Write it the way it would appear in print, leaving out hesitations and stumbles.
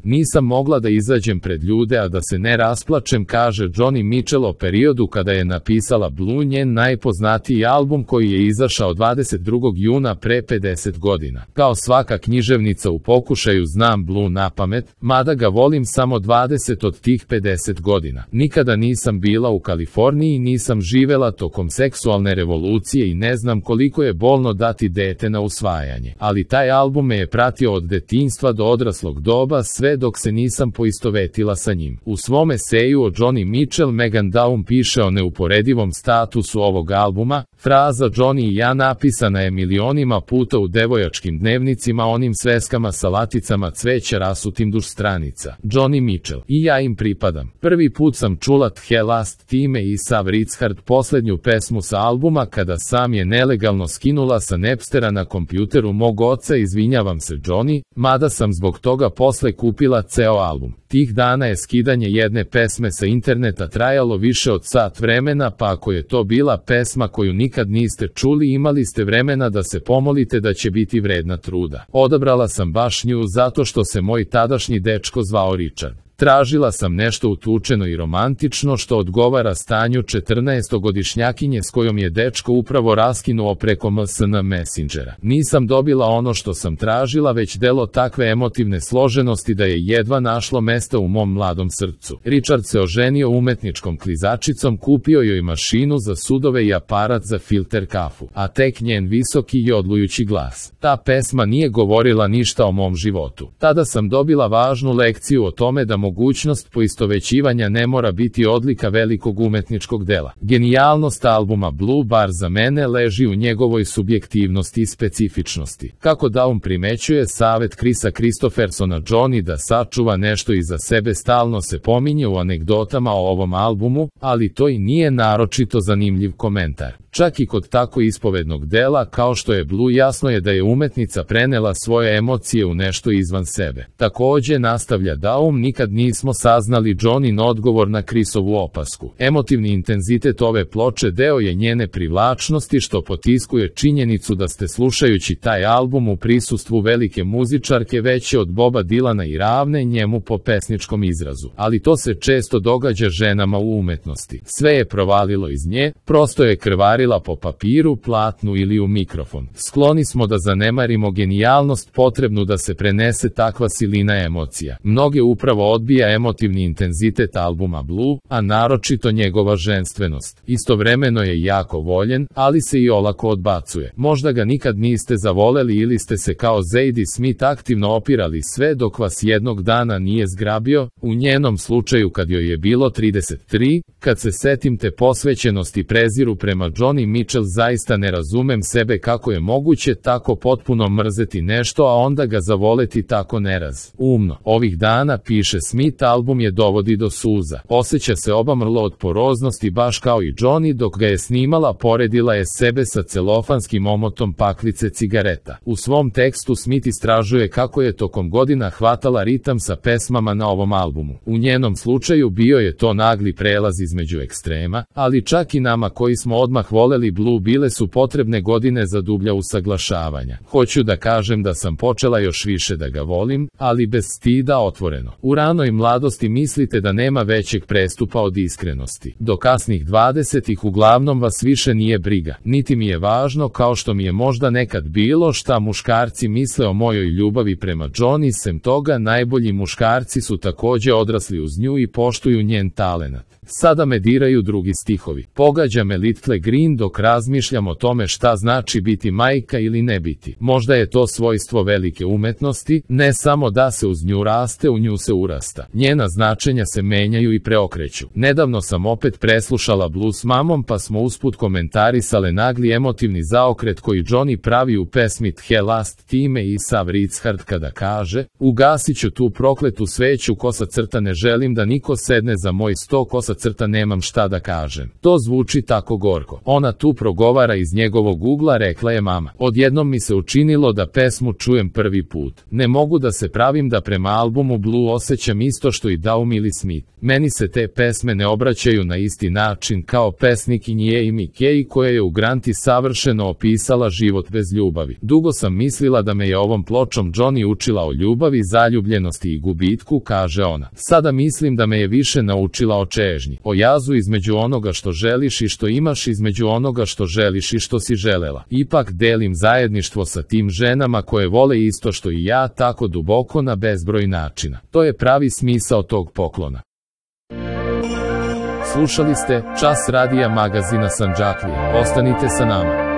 Nisam mogla da izađem pred ljude a da se ne rasplačem, kaže Joni Mitchell o periodu kada je napisala Blue, njen najpoznatiji album koji je izašao 22. juna pre 50 godina. Kao svaka književnica u pokušaju znam Blue napamet, mada ga volim samo 20 od tih 50 godina. Nikada nisam bila u Kaliforniji, nisam živela tokom seksualne revolucije i ne znam koliko je bolno dati dete na usvajanje. Ali taj album me je pratio od detinjstva do odraslog doba, sve dok se nisam poistovetila sa njim. U svom eseju o Joni Mitchell Megan Daum piše o neuporedivom statusu ovog albuma. Fraza Joni i ja napisana je milionima puta u devojačkim dnevnicima, onim sveskama sa laticama cveća rasutim duž stranica. Joni Mitchell: i ja im pripadam. Prvi put sam čula The Last Time i Sav Ritzhard, poslednju pesmu sa albuma, kada sam je nelegalno skinula sa Napstera na kompjuteru mog oca. Izvinjavam se Joni, mada sam zbog toga posle kupila ceo album. Tih dana je skidanje jedne pesme sa interneta trajalo više od sat vremena, pa ako je to bila pesma koju nikad niste čuli, imali ste vremena da se pomolite da će biti vredna truda. Odabrala sam baš nju zato što se moj tadašnji dečko zvao Richard. Tražila sam nešto utučeno i romantično što odgovara stanju 14-godišnjakinje s kojom je dečko upravo raskinuo preko MSN Messengera. Nisam dobila ono što sam tražila, već delo takve emotivne složenosti da je jedva našlo mesta u mom mladom srcu. Richard se oženio umetničkom klizačicom, kupio joj mašinu za sudove i aparat za filter kafu, a tek njen visoki i odlujući glas. Ta pesma nije govorila ništa o mom životu. Tada sam dobila važnu lekciju o tome da mogućnost poistovećivanja ne mora biti odlika velikog umetničkog dela. Genijalnost albuma Blue, bar za mene, leži u njegovoj subjektivnosti i specifičnosti. Kako Daum primećuje, savet Chrisa Christophersona Joni da sačuva nešto iza sebe stalno se pominje u anegdotama o ovom albumu, ali to i nije naročito zanimljiv komentar. Čak i kod tako ispovednog dela kao što je Blue, jasno je da je umetnica prenela svoje emocije u nešto izvan sebe. Takođe, nastavlja Daum, nikad nismo saznali Jonin odgovor na Chrisovu opasku. Emotivni intenzitet ove ploče deo je njene privlačnosti, što potiskuje činjenicu da ste slušajući taj album u prisustvu velike muzičarke veće od Boba Dilana i ravne njemu po pesničkom izrazu. Ali to se često događa ženama u umetnosti. Sve je provalilo iz nje, prosto je krvarila po papiru, platnu ili u mikrofon. Skloni smo da zanemarimo genijalnost potrebnu da se prenese takva silina emocija. Mnoge upravo odbija emotivni intenzitet albuma Blue, a naročito njegova ženstvenost. Istovremeno je jako voljen, ali se i olako odbacuje. Možda ga nikad niste zavoleli ili ste se kao Zadie Smith aktivno opirali sve dok vas jednog dana nije zgrabio. U njenom slučaju, kad joj je bilo 33, kad se setim te posvećenosti preziru prema Joni Mitchell, zaista ne razumem sebe kako je moguće tako potpuno mrzeti nešto, a onda ga zavoleti tako umno. Ovih dana, piše Smith, album je dovodi do suza. Osjeća se obamrlo od poroznosti baš kao i Joni dok ga je snimala, poredila je sebe sa celofanskim omotom paklice cigareta. U svom tekstu Smith istražuje kako je tokom godina hvatala ritam sa pesmama na ovom albumu. U njenom slučaju bio je to nagli prelaz između ekstrema, ali čak i nama koji smo odmah voleli Blue bile su potrebne godine za dublja usaglašavanja. Hoću da kažem da sam počela još više da ga volim, ali bez stida, otvoreno. U ranoj mladosti mislite da nema većeg prestupa od iskrenosti. Do kasnih 20-ih uglavnom vas više nije briga. Niti mi je važno, kao što mi je možda nekad bilo, šta muškarci misle o mojoj ljubavi prema Joni. Sem toga, najbolji muškarci su takođe odrasli uz nju i poštuju njen talenat. Sada me diraju drugi stihovi. Pogađa me Little Green dok razmišljam o tome šta znači biti majka ili ne biti. Možda je to svojstvo velike umetnosti, ne samo da se uz nju raste, u nju se urasta. Njena značenja se menjaju i preokreću. Nedavno sam opet preslušala Blue s mamom, pa smo usput komentarisale nagli emotivni zaokret koji Joni pravi u pesmi The Last Time i Sav Ritzhard kada kaže: ugasit ću tu prokletu sveću, kosa crta, ne želim da niko sedne za moj sto, kosa crta, nemam šta da kažem. To zvuči tako gorko. On Ona tu progovara iz njegovog ugla, rekla je mama. Odjednom mi se učinilo da pesmu čujem prvi put. Ne mogu da se pravim da prema albumu Blue osjećam isto što i Daum ili Smith. Meni se te pesme ne obraćaju na isti način kao pesnikinji Amy Kay koja je u Granti savršeno opisala život bez ljubavi. Dugo sam mislila da me je ovom pločom Johnny učila o ljubavi, zaljubljenosti i gubitku, kaže ona. Sada mislim da me je više naučila o čežnji, o jazu između onoga što želiš i što imaš, između onoga što želiš i što si želela. Ipak delim zajedništvo sa tim ženama koje vole isto što i ja, tako duboko na bezbroj načina. To je pravi smisao tog poklona. Slušali ste Čas radija magazina Sandžaklija. Ostanite sa nama.